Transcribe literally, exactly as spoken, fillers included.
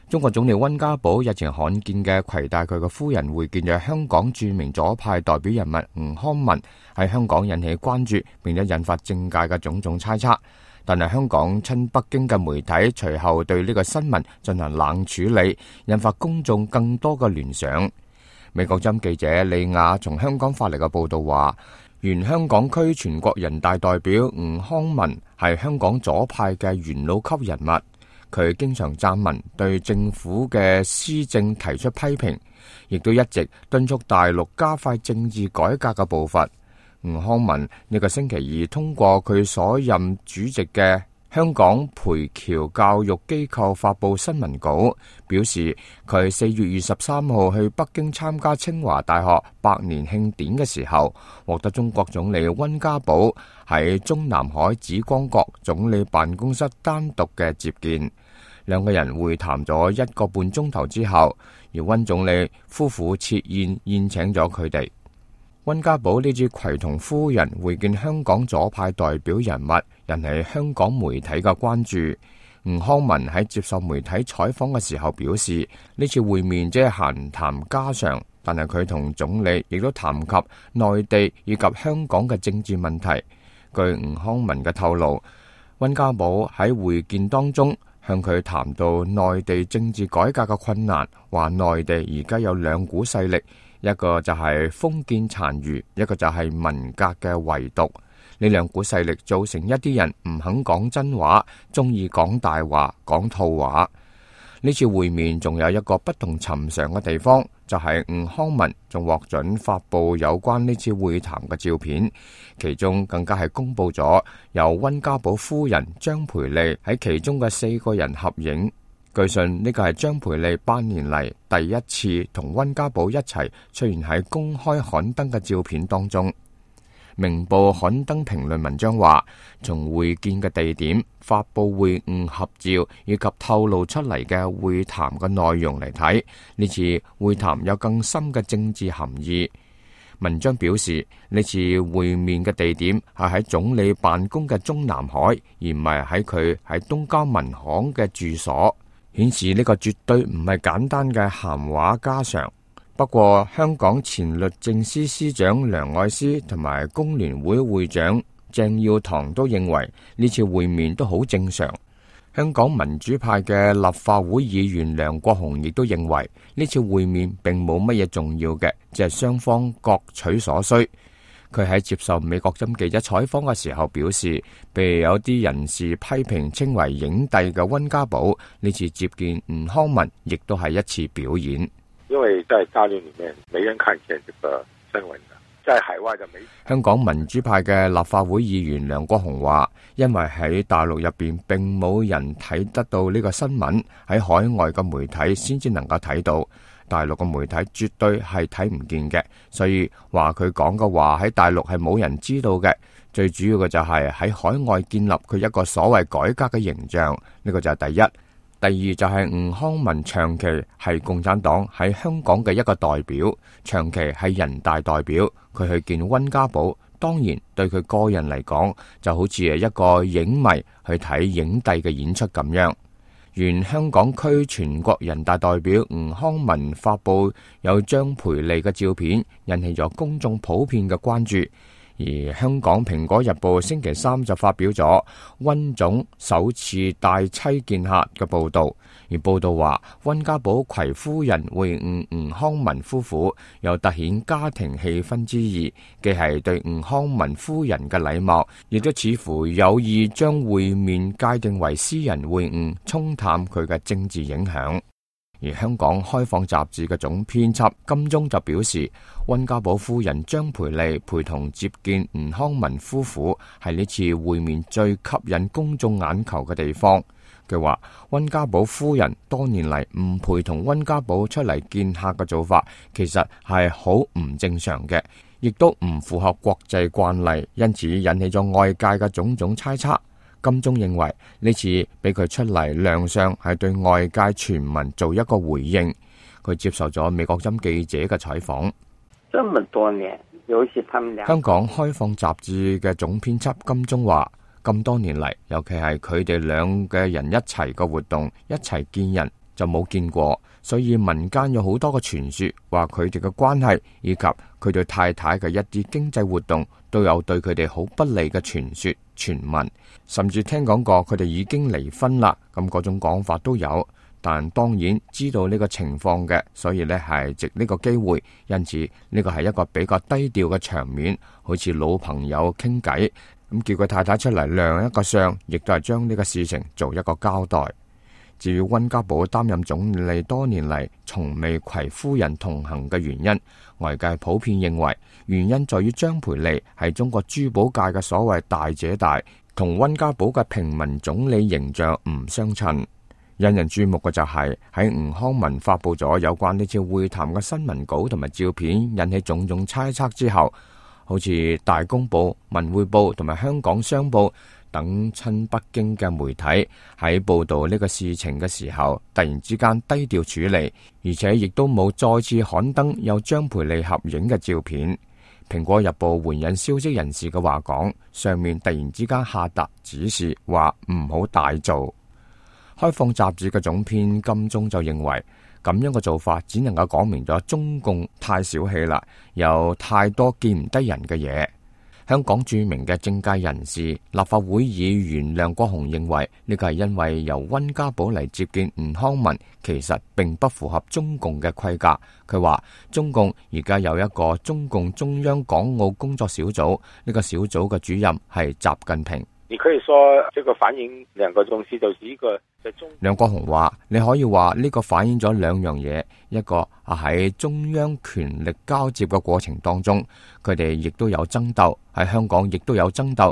中國總理溫家寶日前罕見嘅攜帶佢嘅夫人會見咗香港著名左派代表人物吳康民，喺香港引起關注，並且引發政界嘅種種猜測。但係香港親北京嘅媒體隨後對呢個新聞進行冷處理，引發公眾更多嘅聯想。美國針記者李亞從香港發嚟嘅報道話，原香港區全國人大代表吳康民係香港左派嘅元老級人物。佢經常撰文對政府嘅施政提出批評，亦都一直敦促大陸加快政治改革嘅步伐。吳康民呢個星期二通過佢所任主席嘅香港培僑教育機構發佈新聞稿，表示佢四月二十三號去北京參加清華大學百年慶典嘅時候，獲得中國總理溫家寶喺中南海紫光閣總理辦公室單獨嘅接見。兩個人會談咗一個半鐘頭之後，而溫總理夫婦設宴宴請咗佢哋。溫家寶呢次攜同夫人會見香港左派代表人物，引起香港媒體嘅關注。吳康民喺接受媒體採訪嘅時候表示，呢次會面只係閒談家常，但係佢同總理亦都談及內地以及香港嘅政治問題。據吳康民嘅透露，溫家寶喺會見當中向佢談到內地政治改革嘅困難，話內地而家有兩股勢力，一個就係封建殘餘，一個就係文革嘅遺毒。呢兩股勢力造成一啲人唔肯講真話，中意講大話、講套話。呢次會面仲有一個不同尋常嘅地方，就係吳康民仲獲准發佈有關呢次會談嘅照片，其中更加係公布咗由溫家寶夫人張培麗喺其中嘅四個人合影。據信呢個係張培麗八年嚟第一次同溫家寶一齊出現喺公開刊登嘅照片當中。明報刊登評論文章話，從會見嘅地點、發佈會晤合照以及透露出嚟嘅會談嘅內容嚟睇，呢次會談有更深嘅政治含義。文章表示，呢次會面嘅地點係喺總理辦公嘅中南海，而唔係喺佢喺東交民巷嘅住所，顯示呢個絕對唔係簡單嘅閒話家常。不過，香港前律政司司長梁愛詩同埋工聯會會長鄭耀棠都認為呢次會面都好正常。香港民主派嘅立法會議員梁國雄亦都認為呢次會面並冇乜嘢重要嘅，只係雙方各取所需。佢喺接受美國針記者採訪嘅時候表示，被有啲人士批評稱為影帝嘅溫家寶呢次接見吳康民，亦都係一次表演。因為在大陸裏面沒人看見這個新聞的，在海外的媒體。香港民主派嘅立法會議員梁國雄話，因為喺大陸入邊並冇人睇得到呢個新聞，喺海外嘅媒體先至能夠睇到，大陸嘅媒體絕對係睇唔見嘅，所以話佢講嘅話喺大陸係冇人知道嘅。最主要嘅就係喺海外建立佢一個所謂改革嘅形象，呢個就係第一。第二就係吳康民長期係共產黨喺香港嘅一個代表，長期係人大代表，佢去見溫家寶，當然對佢個人嚟講就好似係一個影迷去睇影帝嘅演出咁樣。原香港區全國人大代表吳康民發佈有張培麗嘅照片，引起咗公眾普遍嘅關注。而香港蘋果日報星期三就發表咗溫總首次帶妻見客嘅報道，而報道話溫家寶攜夫人會晤吳康民夫婦，有凸顯家庭氣氛之意，既係對吳康民夫人嘅禮貌，亦都似乎有意將會面界定為私人會晤，沖淡佢嘅政治影響。而香港開放雜誌嘅總編輯金鐘就表示，溫家寶夫人張培麗陪同接見吳康民夫婦係呢次會面最吸引公眾眼球嘅地方。佢話溫家寶夫人多年嚟唔陪同溫家寶出嚟見客嘅做法，其實係好唔正常嘅，亦都唔符合國際慣例，因此引起咗外界嘅種種猜測。金鐘認為呢次俾佢出嚟亮相係對外界傳聞做一個回應。佢接受咗美國針記者嘅採訪。這麼多年，尤其他們倆。香港開放雜誌嘅總編輯金鐘話，咁多年嚟，尤其係佢哋兩個人一齊嘅活動，一齊見人，就冇見過，所以民間有好多嘅傳說，話佢哋嘅關係以及佢對太太嘅一啲經濟活動都有對佢哋好不利嘅傳說傳聞，甚至聽講過佢哋已經離婚啦，咁嗰種講法都有。但當然知道呢個情況嘅，所以呢係藉呢個機會，因此呢個係一個比較低調嘅場面，好似老朋友傾偈，咁叫佢太太出嚟亮一個相，亦都係將呢個事情做一個交代。至於溫家寶擔任總理多年嚟從未攜夫人同行嘅原因，外界普遍認為原因在於張培利係中國珠寶界嘅所謂大姐大，同溫家寶嘅平民總理形象唔相稱。引人注目嘅就係喺吳康文發佈咗有關呢次會談嘅新聞稿同埋照片，引起種種猜測之後，好似大公報、文匯報同埋香港商報等親北京嘅媒體喺報道呢個事情嘅時候，突然之間低調處理，而且亦都冇再次刊登有張培利合影嘅照片。蘋果日報援引消息人士嘅話講，上面突然之間下達指示，話唔好大做。開放雜誌嘅總編金鐘就認為，咁樣嘅做法只能夠講明咗中共太小氣啦，有太多見唔得人嘅嘢。香港著名嘅政界人士、立法會議員梁國雄認為，呢個係因為由溫家寶嚟接見吳康文，其實並不符合中共嘅規格。佢話中共而家有一個中共中央港澳工作小組，呢個小組嘅主任係習近平。你可以說這個反映兩個東西，就是一個在中。梁國雄話：你可以話呢個反映咗兩樣嘢，一個啊喺中央權力交接嘅過程當中，佢哋亦都有爭鬥，喺香港亦都有爭鬥，